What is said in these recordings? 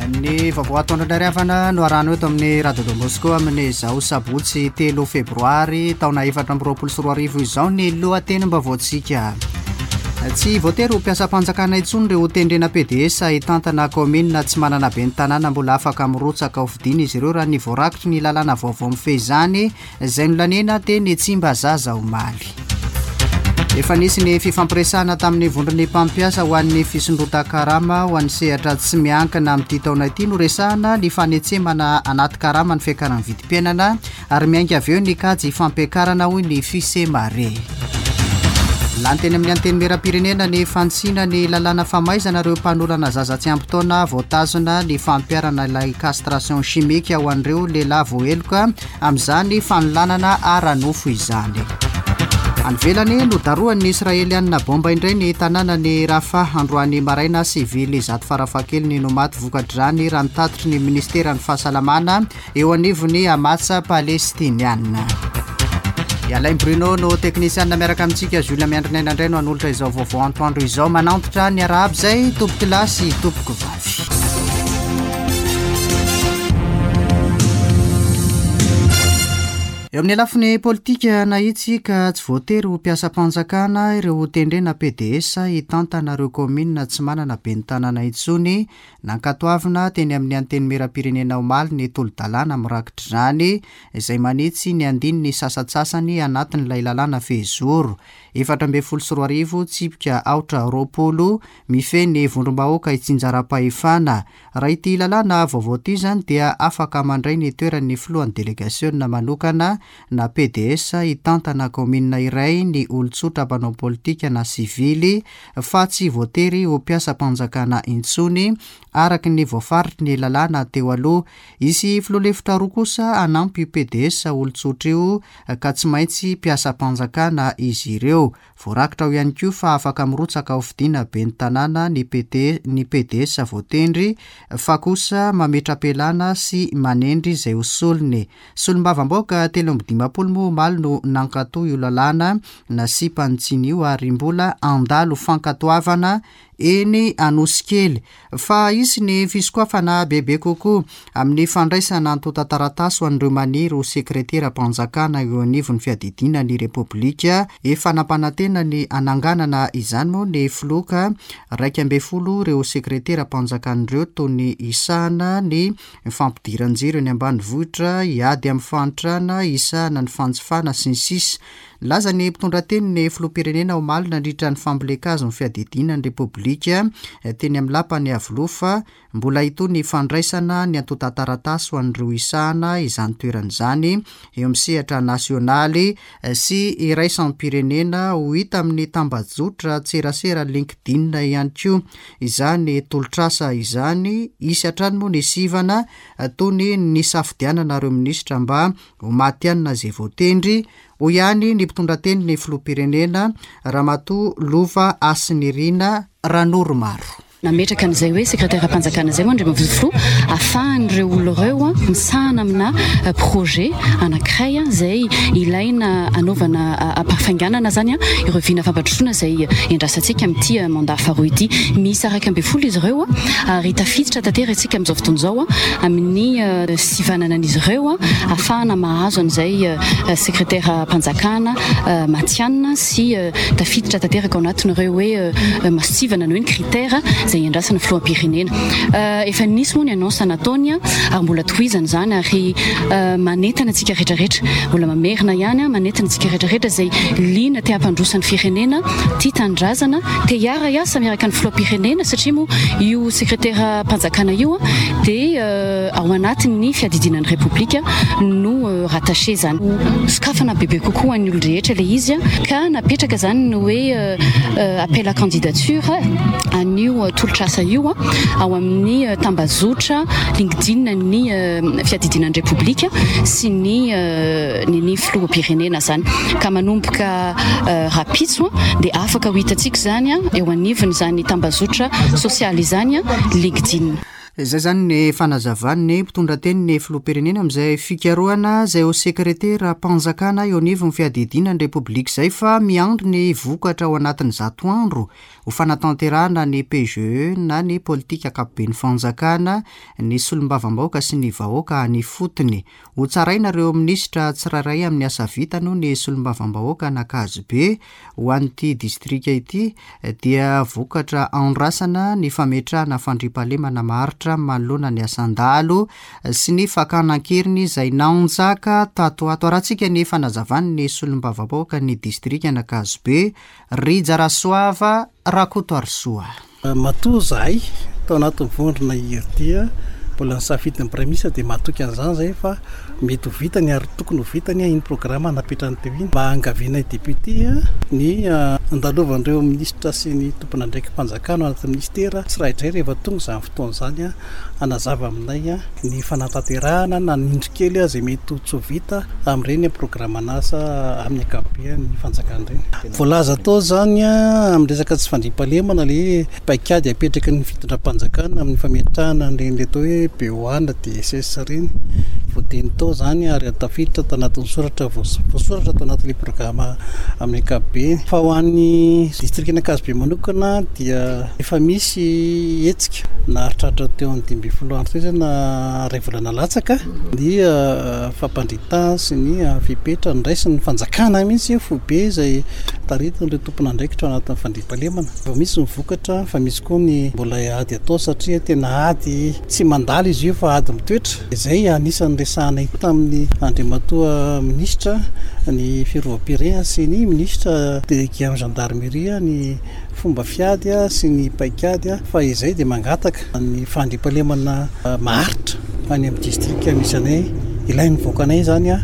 Ny vaovao atoandro indray ry havana no arahana eto amin'ny Radio Don Bosco amin'izao sabotsy 3 febroary taona 2024 izao ny lohatenim-baovaontsika. Tsy voatery ho mpiasam-panjakana intsony ireo tendrena PDS hitantana kaominina tsy manana ben'ny tanàna mbola afaka mirotsaka ho fidiana izy ireo raha ny voarakitry ny lalàna vaovao mifehy izany izay nolaniana teny Tsimbazaza omaly. Efa nisy ny fifampiresahana tamin'ny vondron'ny mpampiasa ho an'ny fisondrotan-karama ho an'ny sehatra tsy miankina amin'ity taona ity. Noresahana ny fanetsemana anaty karama ny fiakaran'ny vidim-piainana ary miainga avy eo ny kajy fampiakarana hoy ny Fisemare. Lany teny amin'ny Antenimierampirenena ny fanitsiana ny lalàna famaizana ireo mpanolana zaza tsy ampy taona voatazona ny fampiharana ilay castration chimique ho an'ireo lehilahy voaheloka amin'izany fanolanana ara-nofo izany. Any ivelany, nodarohan'ny Israelianina baomba indray ny tanànan'i Rafah androany maraina, sivily zato farafahakeliny no maty vokatr'izany raha ny tatitry ny minisiteran'ny fahasalamana eo anivon'ny Hamas palestiniana. I Alain Bruno no teknisianina miaraka amintsika, Jules Miandrinaina indray no hanolotra izao vaovao antoandro izao. Manantitra ny arahaba izay tompokolahy sy tompokovavy. Eo amin'ny lafiny politika nahitsy ka tsy voatery ho mpiasam-panjakana ireo hotendrena PDS hitantana ireo kaominina tsy manana ben'ny tanàna intsony. Nankatoavina teny amin'ny Antenimierampirenena omaly ny tolo-dalàna mirakitra izany izay manitsy ny andininy sasantsasany anatin'ilay lalàna fehizoro 2014 tsipika aotra 20 mifehy ny vondrom-bahoaka itsinjaram-pahefana. Raha ity lalàna vaovao ity izany dia afaka mandray ny toeran'ny filohan'ny delegasiona manokana na pds hitantana kaominina iray ny olon-tsotra mpanao politika na sivily fa tsy voatery ho mpiasam-panjakana intsony araka ny voafaritry ny lalàna teo aloha. Hisy filoha lefitra roa kosa hanampy io pds olon-tsotra io ka tsy maintsy mpiasam-panjakana izy ireo. Voarakitra ao ihany koa fa afaka mirotsaka ho fidiana ben'ny tanàna ny PT, ny pds voatendry fa kosa mametra-pialana sy manendry izay ho solony. Solombavambahoaka 53 moa omaly no nankato io lalàna nasiam-panitsiana io ary mbola handalo fankatoavana eny Anosikely fa hisy ny fisokafana bebe kokoa amin'ny fandraisana antontan-taratasy ho an'ireo maniry ho sekreteram-panjakana eo anivon'ny fiadidiana ny Repoblika. Efa nampanantena ny hananganana izany moa ny filoha ka 11 ireo sekreteram-panjakana ireo toy ny hisahana ny fampidiran-jiro eny ambanivohitra, hiady amin'ny fahantrana, hisahana ny fanjifana, sy ny sisa Nilaza ny mpitondra teny ny filoham-pirenena omaly nandritra ny fambolen-kazo ny fiadidiana ny Repoblika teny amin'ny lapan'i Iavoloha fa mbola hitohy ny fandraisana ny antontan-taratasy ho an'ireo hisahana izany toerana izany eo amin'ny sehatra nasionaly sy iraisam-pirenena. Ho hita amin'ny tambajotra tserasera LinkedIn ihany koa izany tolotr'asa izany. Hisy hatrany moa ny sivana toy ny nisafidianana ireo minisitra mba ho matihanina izay voatendry, hoy ihany ny mpitondra tenin'ny filoham-pirenena, Ramatoa Lova Hasinirina Ranoromaro. Nametraka an'izay hoe sekreteram-panjakana izay moa Andriamatoa Filoha ahafahan'ireo olona ireo misahana amina projet anankiray izay ilaina hanaovana ampahafainganana izany ireo vina fampandrosoana izay iandrasantsika amin'ity mandat faharoa ity. Miisa 11 izy ireo ary tafiditra tanteraka isika amin'izao fotoana izao amin'ny sivanana an'izy ireo ahafahana mahazo an'izay sekreteram-panjakana matihanina sy tafiditra tanteraka ao anatin'ireo hoe masontsivana na hoe ny critère izay iandrasan'ny filoham-pirenena. Efa nisy moa ny annonce nataony ary mbola tohizana izany ary manentana antsika rehetrarehetra, mbola mamerina ihany manentana antsika rehetrarehetra izay liana te hampandroso ny firenena, tia tanindrazana, te hiara-hiasa miaraka ny filoham-pirenena satria moa io sekreteram-panjakana io dia ao anatin'ny fiadidiana ny Repoblika no rattaché izany. Sokafana bebe kokoa ho an'ny olon-drehetra ilay izy ka napetraka izany ny hoe appel à candidature an'io tolotr'asa io ao amin'ny tambazotra LinkedIn ny fiadidiana ny Repoblika sy ny ny filoham-pirenena izany ka manomboka rahampitso dia afaka ho hitantsika izany eo anivon'izany tambazotra sosialy izany LinkedIn. Izay izany ny fanazavan'ny mpitondra tenin'ny filoham-pirenena amin'izay fikarohana izay ho sekreteram-panjakana eo anivon'ny fiadidiana ny Repoblika izay fa miandry ny vokatra ao anatin'ny zato andro ho fanatanterahana ny PGE na ny politika ankapoben'ny fanjakana ny solombavambahoaka sy ny vahoaka any ifotony. Hotsaraina ireo minisitra tsirairay amin'ny asa vitany hoy ny solombavambahoaka an'Ankazobe. Ho an'ity distrika ity dia vokatra andrasana ny fametrahana fandriampahalemana maharitra manoloana ny asan-dahalo sy ny fakana an-keriny izay nanjaka tato ho ato. Arahantsika ny fanazavan'ny solombavambahoakan'ny distrikan'Ankazobe, Rija Rasoava Rakotoarisoa. Matoa izahay tao anatin'ny vondrona IRD mbola nisafidy ny Praiminisitra dia matoky an'izany izahay fa mety ho vitany ary tokony ho vitany iny programa napetrany teo iny. Mba angavianay député ny handalovan'ireo minisitra sy ny tompon'andraiki-panjakana ao anatin'ny minisitera tsiraidray rehefa tonga izany fotoana izany hanazava aminay ny fanatanterahana na ny indro kely izay mety ho tsy ho vita amin'ireny programan'asa amin'ny ankapobean'ny fanjakana ireny. Voalaza tao izany amin'ny resaka tsy fandriampahalemana ilay paikady apetraky ny fitondram-panjakana amin'ny fametrahana an'ireny ilay atao hoe BOA na DSS ireny. Voateny tao izany ary tafiditra tao anatin'ny soratra voasoratra tao anatin'ilay programa amin'ny ankapobeny. Fa ho an'ny distrikan'Ankazobe manokana dia efa misy hetsika naharitraritra teo amin'ny 15 andro teo izay na iray volana latsaka ny fampandritahana sy ny fepetra noraisin'ny fanjakana mihitsy foibe izay taritin'ireo tompon'andraikitra ao anatin'ny fandriampahalemana. Efa misy ny vokatra fa misy koa ny mbola ady atao satria tena ady tsy mandalo izy io fa ady mitoetra. Izay anisan'ny resahanay tamin'ny Andriamatoa Minisitra ny Fiarovam-pirenena sy ny Minisitra délégué amin'ny Gendarmerie ny fomba fiady sy ny paikady fa izay dia mangataka ny fandriampahalemana maharitra any amin'ny distrika misy anay, ilain'ny vahoakanay izany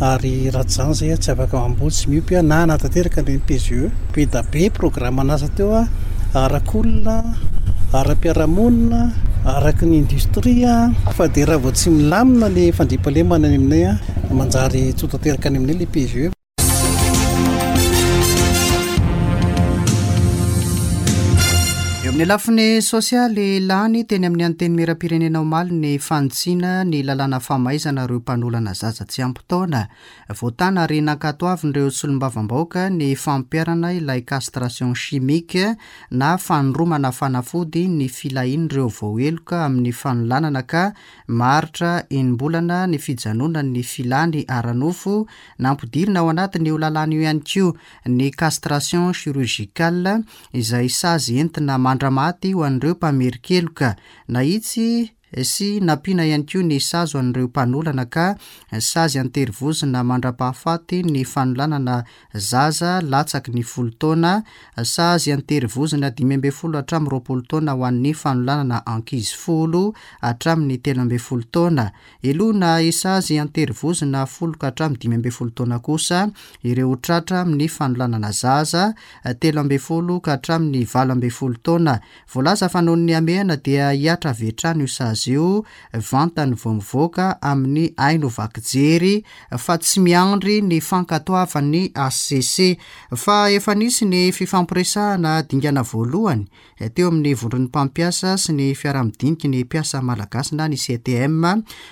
ary raha tsy izany izay tsy afaka mamboly sy miompy na hanatanteraka an'ireny PGE. Be da be programan'asa teo arak'olona, ara-piarahamonina, araky ny industria fa dia raha vao tsy milamina ny fandriampahalemana any aminay manjary tsy ho tanteraka any aminay ilay PGE. Eo amin'ny lafiny sosialy, lany teny amin'ny Antenimierampirenena omaly ny fanitsiana ny lalàna famaizana ireo mpanolana zaza tsy ampy taona. Voatàna ary nankatoavin'ireo solombavambahoaka ny fampiharana ilay castration chimique na fanindromana fanafody ny filahian'ireo voaheloka amin'ny fanolanana ka maharitra enim-bolana ny fijanonan'ny filany ara-nofo Nampidirina ao anatin'io lalàna io ihany koa ny castration chirurgicale izay sazy entina mandra-maty ho an'ireo mpamerin-keloka. Nahitsy sy nampiana ihany koa ny sazy ho an'ireo mpanolana ka sazy an-terivozona mandra-pahafaty ny fanolanana zaza latsaky ny folo taona, sazy an-terivozona 15 hatramin'ny 20 taona ho an'ny fanolanana ankizy folo hatramin'ny 13 taona. Helohina hisazy an-terivozona folo ka hatramin'ny 15 taona kosa ireo tratra amin'ny fanolanana zaza, 13 ka hatramin'ny 18 taona. Voalaza fa noho ny hamehana dia hihatra avy hatrany io sazy io vantany vao mivoaka amin'ny haino vaky jery fa tsy miandry ny fankatoavan'ny hcc. Fa efa nisy ny fifampiresahana dingana voalohany teo amin'ny vondron'ny mpampiasa sy ny fiaraha-midiniky ny mpiasa malagasy na ny CTM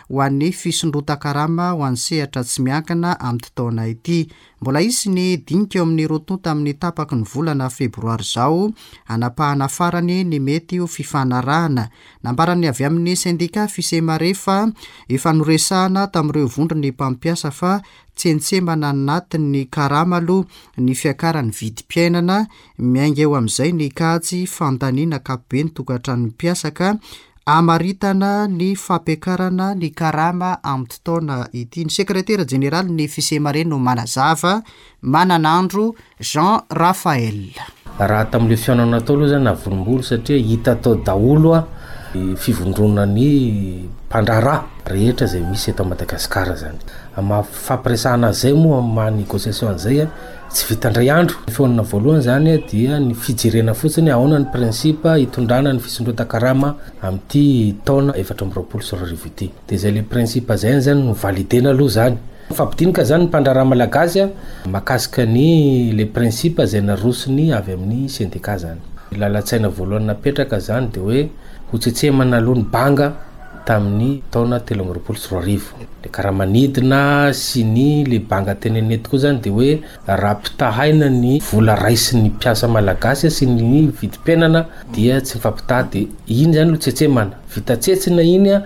ho an'ny fisondrotan-karama ho an'ny sehatra tsy miankina amin'ity taona ity. Mbola hisy ny dinika eo amin'ny roa tonta amin'ny tapaky ny volana febroary izao hanapahana farany ny mety ho fifanarahana. Nambaran'ny avy amin'ny sendika Fisemare fa efa noresahana tamin'ireo vondron'ny mpampiasa fa tsentsemana anatin'ny karama aloha ny fiakaran'ny vidim-piainana Miainga eo amin'izay ny kajy fandaniana ankapobeny tokantranon'ny mpiasa ka hamaritana ny fampiakarana ny karama amin'ity taona ity. Ny sekretera jeneralin'ny Fisemare no manazava, Mananandro Jean Raphaël. Raha tamin'ilay fihaonana tao aloha zany navorimbolo satria hita tao daholo ny fivondronan'ny mpandraharaha rehetra izay misy eto Madagasikara zany. Amin'ny maha fifampiresahana an'izay moa amin'ny maha négociation an'izay Tsy vita indray andro. Ny fihaonana voalohany izany dia ny fijerena fotsiny ahoana ny principe hitondrana ny fisondrotan-karama amin'ity taona 2024 ity. Dia izay le principe izay izany no validena aloha izany. Mifampidinika izany ny mpandraharaha malagasy mahakasika ny le principe izay narosony avy amin'ny sendika izany. Ny lalan-tsaina voalohany napetraka izany dia hoe. Ho tsetsemana aloha ny banga tamin'ny taona 2023. Le karama nidina sy ny le banga tenenina eto koa zany de hoe raha ampitahaina ny vola raisin'ny mpiasa malagasy sy ny vidim-piainana dia tsy mifampitaha de iny zany no tsetsemana. Vita tsetsina iny a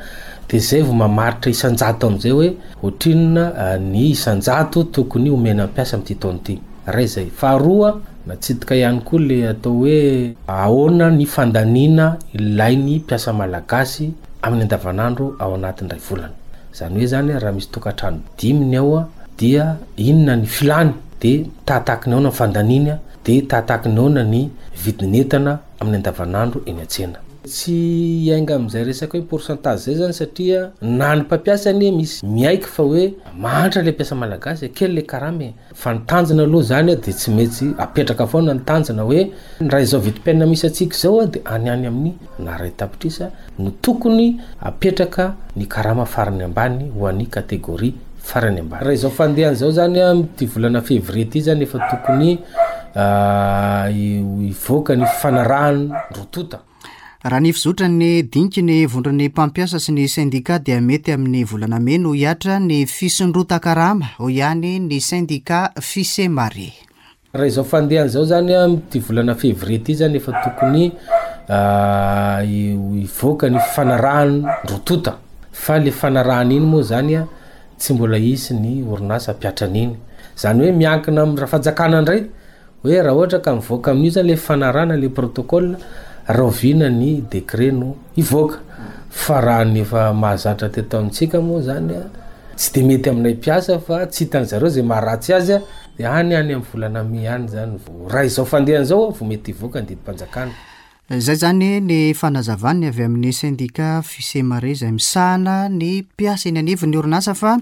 de zay vao mamaritra isan-jato am'zay hoe ohatrinona ny isan-jato tokony homena mpiasa amin'ity taona ity. Iray zay. Faharoa, natsidika ihany koa le atao hoe ahoana ny fandaniana ilain'ny mpiasa malagasy amin'ny andavanandro ao anatin'ny iray volana. Izany hoe zany raha misy tokantrano dimy ny ao dia inona ny filany, de tahatahaky ny ahoana ny fandaniany, de tahatahaky ny ahoana ny vidin'entana amin'ny andavanandro eny an-tsena. Tsy hiainga amin'izay resaka hoe pourcentage zay zany satria na ny mpampiasa anie misy miaiky fa hoe mahantra le mpiasa malagasy e, kely le karama e. Fa ny tanjona aloha izany dia tsy maintsy apetraka foana ny tanjona hoe raha izao vidim-piainana misy antsika izao dia any any amin'ny na iray tapitrisa no tokony apetraka ny karama farany ambany ho an'ny catégorie farany ambany. Raha izao fandehany izao izany amin'ity volana février ity izany efa tokony hivoaka ny fifanarahan'ny roa tonta. Raha ny fizotran'ny diniky ny vondron'ny mpampiasa sy ny sendika dia mety amin'ny volana mey no hihatra ny fisondrotan-karama, hoy ihany ny sendika Fisemare. Raha izao fandehany izao izany amin'ity volana février ity izany efa tokony hivoaka ny fifanarahan'ny roa tonta fa le fanarahana iny moa izany tsy mbola hisy ny orinasa hampiatra an'iny. Izany hoe miankina amin'ny fanjakana indray Hoe raha ohatra ka mivoaka amin'io zany le fanarahana le protocole, rahoviana ny décret no hivoaka? Fa raha ny efa mahazatra teto amintsika moa zany a, tsy de mety aminay mpiasa fa tsy hitan zareo zay maharatsy azy a, de any any amin'ny volana mai any zany vao, raha izao fandehany izao vao mety hivoaka ny didim-panjakana. Izay izany ny fanazavan'ny avy amin'ny sendika Fisemare izay misahana ny mpiasa eny anivon'ny orinasa fa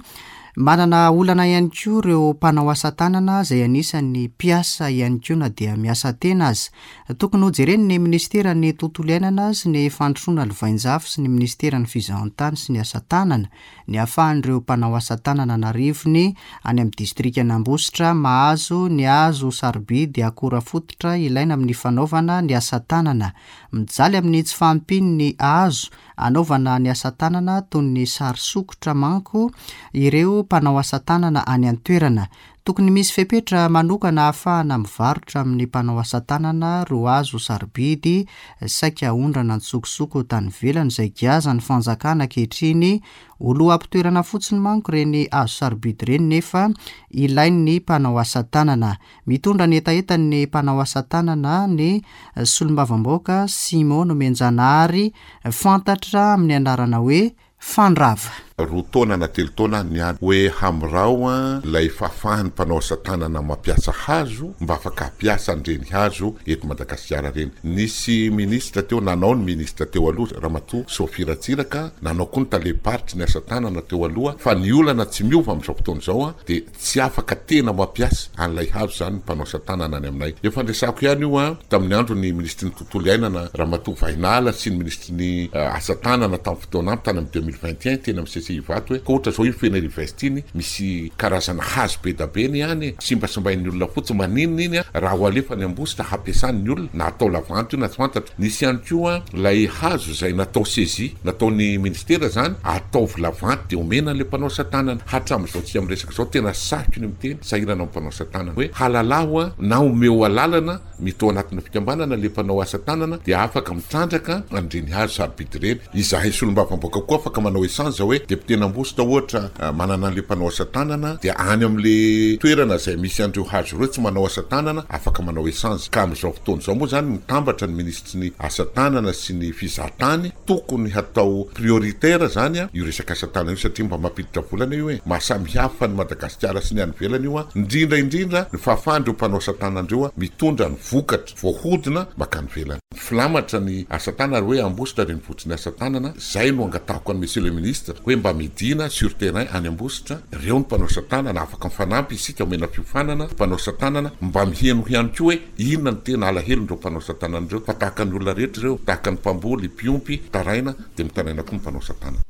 manana olana ihany koa ireo mpanao asa tanana izay anisan'ny mpiasa ihany koa na dia miasa tena aza. Tokony hojeren'ny minisiteran'ny tontolo iainana sy ny fandrosoana lovainjafy sy ny minisiteran'ny fizahantany sy ny asa tanana ny ahafahan'ireo mpanao asa tanana an'arivony any amin'ny distrikan'Ambositra mahazo ny hazo sarobidy akora fototra ilaina amin'ny fanaovana ny asa tanana. Mijaly amin'ny tsy fahampian'ny hazo anaovana ny asa tanana toy ny sary sokitra manko ireo mpanao asa tanana any an-toerana. Tokony misy fepetra manokana ahafahana mivarotra amin'ny mpanao asa tanana ireo hazo sarobidy saika aondrana an-tsokosoko tany ivelany izay giazan'ny fanjakana ankehitriny ho loham-pitoerana fotsiny manko ireny hazo sarobidy ireny nefa ilain'ny mpanao asa tanana. Mitondra ny hetahetan'ny mpanao asa tanana ny solombavambahoaka Simon Nomenjanahary fantatra amin'ny anarana hoe Fandrava. Roa taona na telo taona niady hoe hamorao ilay fahafahan'ny mpanao asa tanana mampiasa hazo mba afaka hampiasa an'ireny hazo eto Madagasikara ireny. Nisy minisitra teo, nanao ny minisitra teo aloha Ramatoa Sophie Ratsiraka, nanao koa ny talem-paritry ny asa tanana teo aloha fa ny olana tsy miova amin'izao fotoana izao dia tsy afaka tena mampiasa an'ilay hazo izany ny mpanao asa tanana any aminay. Efa niresahako ihany io tamin'ny andron'ny minisitry ny tontolo iainana Ramatoa Vahinala sy ny minisitry ny asa tanana tamin'ny fotoana ampy tany amin'ny 2021 teny amin'ny CCI Ivato hoe ka ohatra izao iny Fenerive-Est iny misy karazana hazo be da be ny any e, simbasimbain'ny olona fotsiny, maninona iny raha ho alefa any Ambositra hampiasan'ny olona na atao lavanty io na tsy fantatro. Nisy ihany koa ilay hazo izay natao saisie, nataon'ny ministera izany, ataovy lavanty dia omena an'ilay mpanao asa tanana. Hatramin'izao tsika miresaka izao tena sarotro ny miteny, sahirana amin'ny mpanao asa tanana hoe halalaho na omeo alalana mety ao anatina fikambanana ilay mpanao asa tanana dia afaka mitrandraka an'ireny hazo sarobidy ireny. Izahay solombavambahoaka koa afaka manao echange hoe député-n'Ambositra ohatra manana an'ilay mpanao asa tanana dia any amin'ilay toerana izay misy an'ireo hazo ireo tsy manao asa tanana afaka manao echange. Ka amin'izao fotoana izao moa izany mitambatra ny minisitry ny asa tanana sy ny fizahatany, tokony hatao prioritaire izany io resaka asa tanana io satria mba mampiditra vola anie io e! Maha samihafa an'i Madagasikara sy ny any ivelany io, indrindra indrindra ny fahafahan'ireo mpanao asa tanana ireo mitondra ny vokatra voahodina mankany ivelany. Filamatra ny asa tanana ary hoe Ambositra renivohitry ny asa tanana, izay no angatahako an'i Monsieur le Ministre hoe mba midina sur terrain any Ambositra, ireo ny mpanao asa tanana, afaka mifanampy isika omena fiofanana mpanao asa tanana, mba miheno ihany koa hoe inona no tena alahelon'ireo mpanao asa tanana ireo fa tahaka ny olona rehetra ireo, tahaka ny mpamboly, mpiompy, mitaraina dia mitaraina koa ny mpanao asa tanana.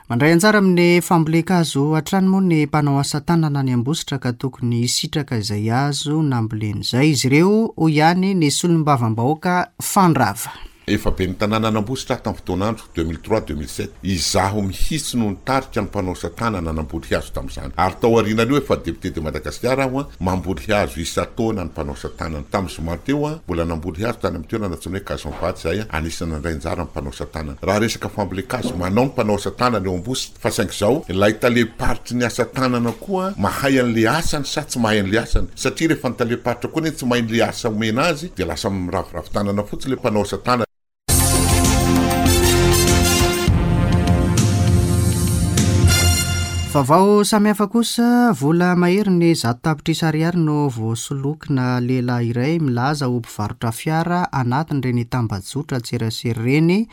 Mandray anjara amin'ny fambolen-kazo hatrany moa ny mpanao asa tanana any Ambositra ka tokony hisitraka izay hazo namboleny izay izy ireo, hoy ihany ny solombavambahoaka Fandrava. Efa ben'ny tanànan'Ambositra aho tamin'ny fotoan'andro, 2003, 2007. Izaho mihitsy no nitarika ny mpanao asa tanana namboly hazo tamin'izany. Ary tao aorianan'io efa député de Madagasikara aho an, mamboly hazo isan-taona ny mpanao asa tanana. Tamin'ny zoma teo aho, mbola namboly hazo tany amin'ny toerana antsoina hoe Cajombato izahay an, anisan'ny nandray anjara ny mpanao asa tanana. Raha resaka fambolen-kazo, manao ny mpanao asa tanana eo Ambositra. Fa saingy izao, ilay talem-paritry ny asa tanana koa mahay an'ilay asany sa tsy mahay an'ilay asany? Satria rehefa ny talem-paritra koa anie tsy mahay an'ilay asa omena azy dia lasa miraviravy tanana fotsiny ilay mpanao asa tanana. Vaovao samihafa kosa, vola maherin'ny 100 tapitrisa ariary no voasolokina lehilahy iray milaza ho mpivarotra fiara anatin'ireny tambajotra an-tserasera ireny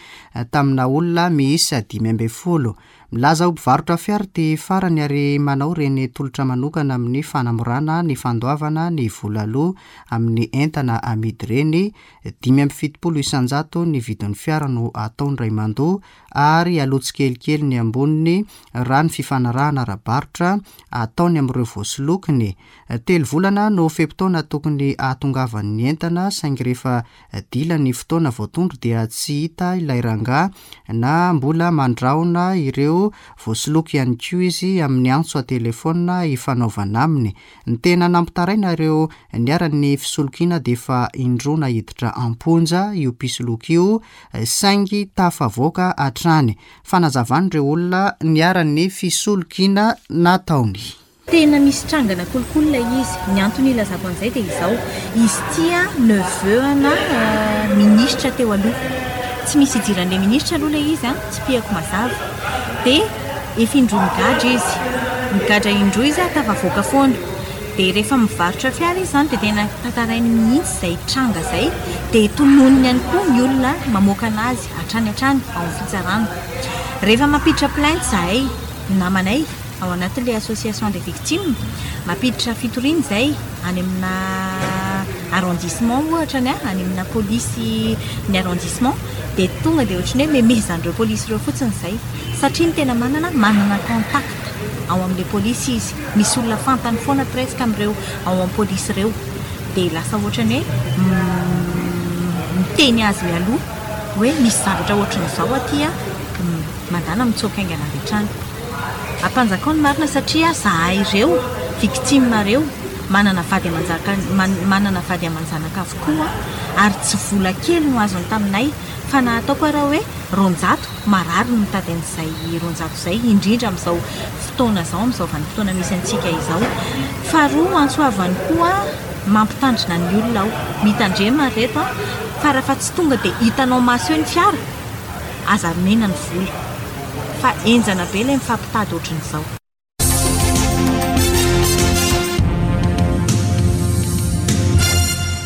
tamina olona miisa 15. Milaza ho mpivarotra fiara ity farany ary manao ireny tolotra manokana amin'ny fanamorana ny fandoavana ny vola aloa amin'ny entana amidy ireny. 75% ny vidin'ny fiara no ataony ray mandoa ary aloa tsikelikely ny amboniny raha ny fifanarahana ara-barotra ataony amin'ireo voasolokiny. Telo volana no fe-potoana tokony hahatongavan'ny entana saingy rehefa Dila ny fotoana voatondro dia tsy hita ilay rangahy na mbola mandrahona ireo voasoloky ihany koa izy amin'ny antso an-telefaonina ifanaovana aminy. Ny tena nampitaraina ireo niharan'ny fisolokiana dia efa indroa naiditra am-ponja io mpisoloky io saingy tafavoaka hatrany. Fanazavan'ireo olona niharan'ny fisolokiana nataony. Tena misy trangana kolikoly ilay izy. Ny antony ilazako an'izay dia izao, izy ity an neveu ana minisitra teo aloha. Tsy misy idiran'ilay minisitra aloha ilay izy an, tsipihako mazava. Dia efa indroa migadra izy. Migadra indroa izy an, tafavoaka foana. Dia rehefa mivarotra fiara izy izany dia tena tantarainy mihitsy izay tranga izay. Dia tononiny ihany koa ny olona mamoaka an'azy hatrany hatrany ao amin'ny fitsarana. Rehefa mampiditra plainte izahay namanay, ao anatin'ilay association des victimes, mampiditra fitoriana izay any amina arrondissement ohatra ny any amina polisy ny arrondissement dia tonga dia ohatran'ny hoe memezan'ireo polisy ireo fotsiny izay satria ny tena manana manana contact ao amin'ilay polisy izy, misy olona fantany foana presque amin'ireo ao amin'ny polisy ireo dia lasa ohatran'ny hoe miteny azy mialoha hoe misy zavatra ohatran'izao aty an, mandàna mitsoaka haingana avy hatrany. Ampanjakao ny marina satria zahay ireo victime reo manana vady amanjaka manana vady amanjanaka avokoa ary tsy vola kely no azony taminay fa na ataoko ara hoe 200 marary ny mitady an'izay 200 izay indrindra amin'izao fotoana izao amin'izao vanim-potoana misy antsika izao. Faharoa antso avo ihany koa mampitandrina ny olona aho mitandrema ry reto a fa raha fa tsy tonga dia hitanao maso eo ny fiara aza omena ny vola fa henjana be ilay mifampitady ohatran'izao.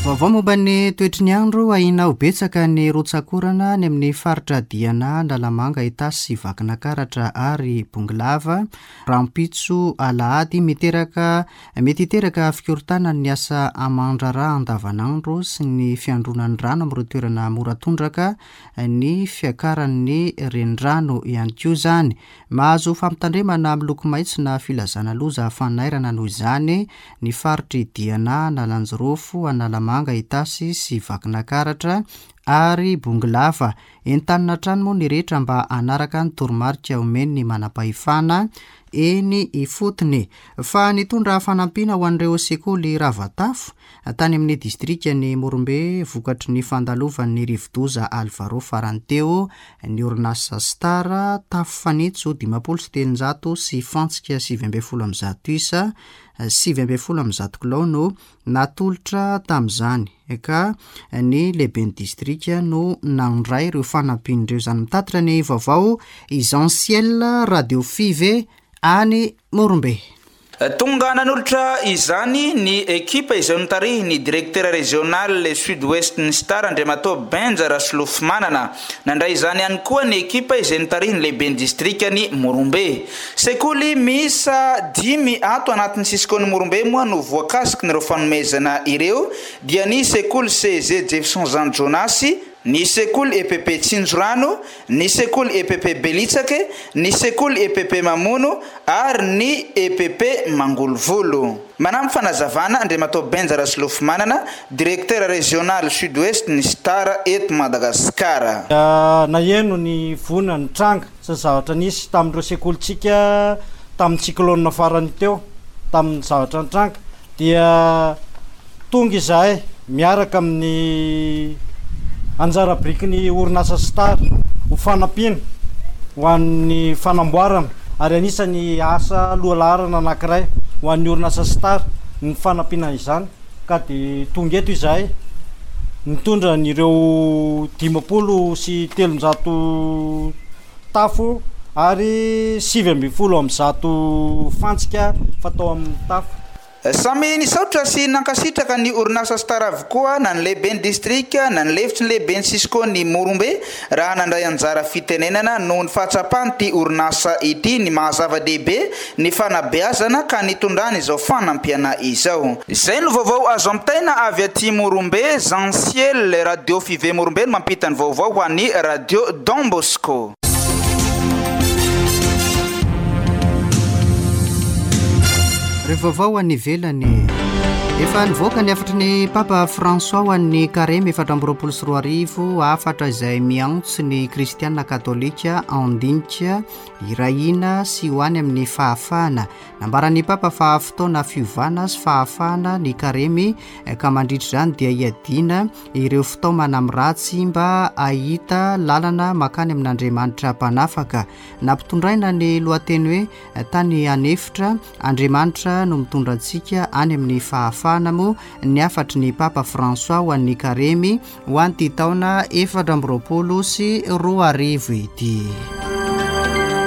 Vaovao momba ny toetry ny andro, ahiana ho betsaka ny rotsak'orana any amin'ny faritra Diana, Analamanga, Itasy sy Vakinakaratra ary Bongolava rahampitso alahady. Miteraka mety hiteraka fikorontanan'ny asa aman-draharaha andavanandro sy ny fiandronan'ny rano amin'ireo toerana mora tondraka ny fiakaran'ny renirano ihany koa izany. Mahazo fampitandremana miloko maitso na filazana loza fanairana noho izany ny faritr'i Diana, Analanjirofo, Analamanga, Itasy sy Vakinakaratra ary Bongolava. Entanina hatrany moa ny rehetra mba hanaraka ny toromarika omen'ny manampahefana eny ifotony. Fa nitondra fanampiana ho an'ireo sekoly rava tafo Tany amin'ny distrikan'i Morombe, vokatry ny fandalovan'ny rivodoza Alvaro farany teo, ny orinasa Star, tafo fanitso 350 sy fantsika 119 isa, 119 kilao no natolotra tamin'izany, ka ny lehiben'ny distrika no nandray ireo fanampiana ireo. Izany mitatitra ny vaovao i Jean Ciel, Radio Five, any Morombe. Tonga nanolotra izany ny ekipa izay notarihin'ny Directeur Régional Sud Ouest ny Star Andriamatoa Benja Rasolofomanana. Nandray izany ihany koa ny ekipa izay notarihin'ny lehiben'ny distrikan'i Morombe. Sekoly miisa dimy ato anatin'ny sisikaon'i Morombe moa no voakasikin'ireo fanomezana ireo dia ny sekoly CEG Jefferson Jean Jonasy, ny sekoly EPP Tsinjorano, ny sekoly EPP Belitsake, ny sekoly EPP Mamono ary ny EPP Mangolovolo. Manampy fanazavana Andriamatoa Benja Rasolofomanana, Directeur Régional Sud-Ouest ny Star eto Madagasikara. Naheno ny voina nitranga sy ny zavatra nisy tamin'ireo sekolintsika tamin'ny cyclone farany teo, tamin'ny zavatra nitranga dia tonga izahay miaraka amin'ny anjara birikin'ny orinasa Star ho fanampiana ho an'ny fanamboarana ary anisan'ny asa lohalaharana anankiray ho an'ny orinasa Star ny fanampiana izany ka dia tonga eto izahay nitondra an'ireo 350 tafo ary 119 fantsika fatao amin'ny tafo. Samy nisaotra sy nankasitraka ny orinasa Star avokoa na ny lehiben'ny distrika na ny lefitry ny lehiben'ny Cisco ny Morombe raha nandray anjara fitenenana noho ny fahatsapan'ity orinasa ity ny maha zava-dehibe ny fanabeazana ka nitondrany izao fanampiana izao. Izay no vaovao azo ampitaina avy aty Morombe, Jean Ciel, Radio Five Morombe no mampita ny vaovao ho an'ny Radio Don Bosco. Ireo vaovao any ivelany. Efa nivoaka ny hafatry ny Papa François ho an'ny Karemy 2024, hafatra izay miantso ny kristiana katolika handinika Hiray hina sy ho any amin'ny fahafahana. Nambaran'ny Papa fa fotoana fiovana sy fahafahana ny Karemy ka mandritra izany dia hiadiana ireo fitaomana amin'ny ratsy mba hahita lalana mankany amin'Andriamanitra Mpanafaka. Nampitondraina ny lohateny hoe Tany an'efitra, Andriamanitra no mitondra antsika any amin'ny fahafahana moa ny hafatry ny Papa François ho an'ny Karemy ho an'ity taona 2024 ity.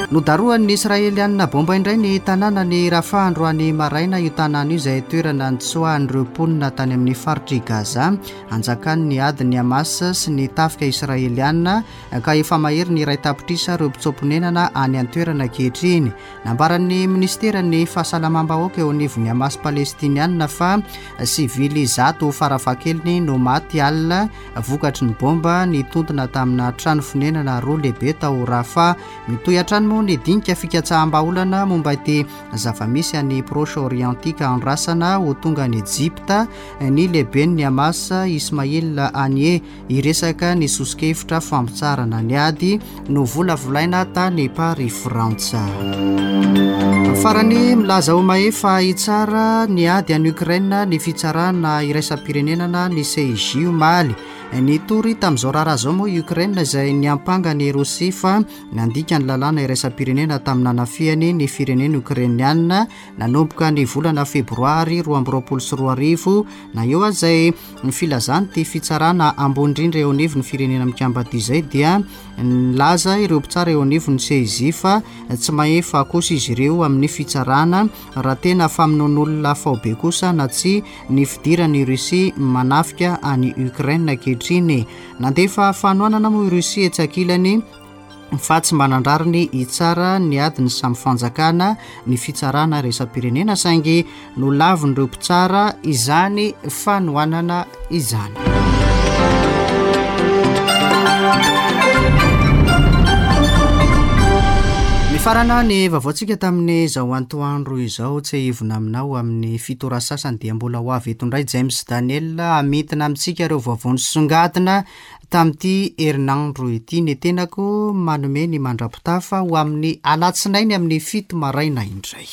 Nodarohan'ny Israelianina bomba indray ny tanànan'i Rafah androany maraina, io tanàna io izay toerana nitsoahan'ireo mponina tany amin'ny faritr'i Gaza anjakan'ny adin'ny Hamas sy ny tafika Israelianina ka efa mahery ny 1 tapitrisa ireo mpitsoa-ponenana any an-toerana ankehitriny. Nambaran'ny minisiteran'ny fahasalamam-bahoaka eo anivon'ny Hamas Palestiniana fa sivily 100 farafahakeliny no maty alina vokatry ny bomba nitontona tamina trano fonenana roa lehibe tao Rafah. Mitohy hatrany moa ny dinika fikatsaham-bahaolana momba ity zava-misy any Proche Orient ity ka andrasana ho tonga any Ejipta ny lehiben'ny Hamas Ismail Haniyeh. Hiresaka ny soso-kevitra fampitsaharana ny ady novolavolaina tany Paris Frantsa. Farany, milaza ho mahefa hitsara ny ady any Ukraine ny fitsarana iraisam-pirenenana ny CIJ omaly. Nitory tamin'izao raharaha izao moa i Ukraine izay niampanga an'i Rosia fa nandika ny lalàna iraisam-pirenena tamin'ny nanafihany ny firenena Ukrainiana nanomboka ny volana febroary 2022. Na eo aza izay Ny filazan'ity fitsarana ambony indrindra eo anivon'ny Firenena Mikambana ity izay dia nilaza ireo mpitsara eo anivon'ny CIJ fa tsy mahefa kosa izy ireo amin'ny fitsarana raha tena famonoan'olona faobe kosa na tsia ny fidiran'i Russie manafika an'i Ukraine ankehitriny. Nandefa fanohanana moa i Russie etsy ankilany fa tsy manan-drariny hitsara ny adin'ny samy fanjakana ny fitsarana iraisam-pirenena saingy nolavin'ireo mpitsara izany fanohanana izany. Mifarana ny vaovaontsika tamin'izao antoandro izao. Tsiahivina aminao amin'ny fito ora sasany dia mbola ho avy eto indray James Daniel hamintina amintsika ireo vaovao nisongadina Tamin'ity herinandro ity ny tenako manome ny mandra-pitafa ho amin'ny alatsinainy amin'ny 7 maraina indray.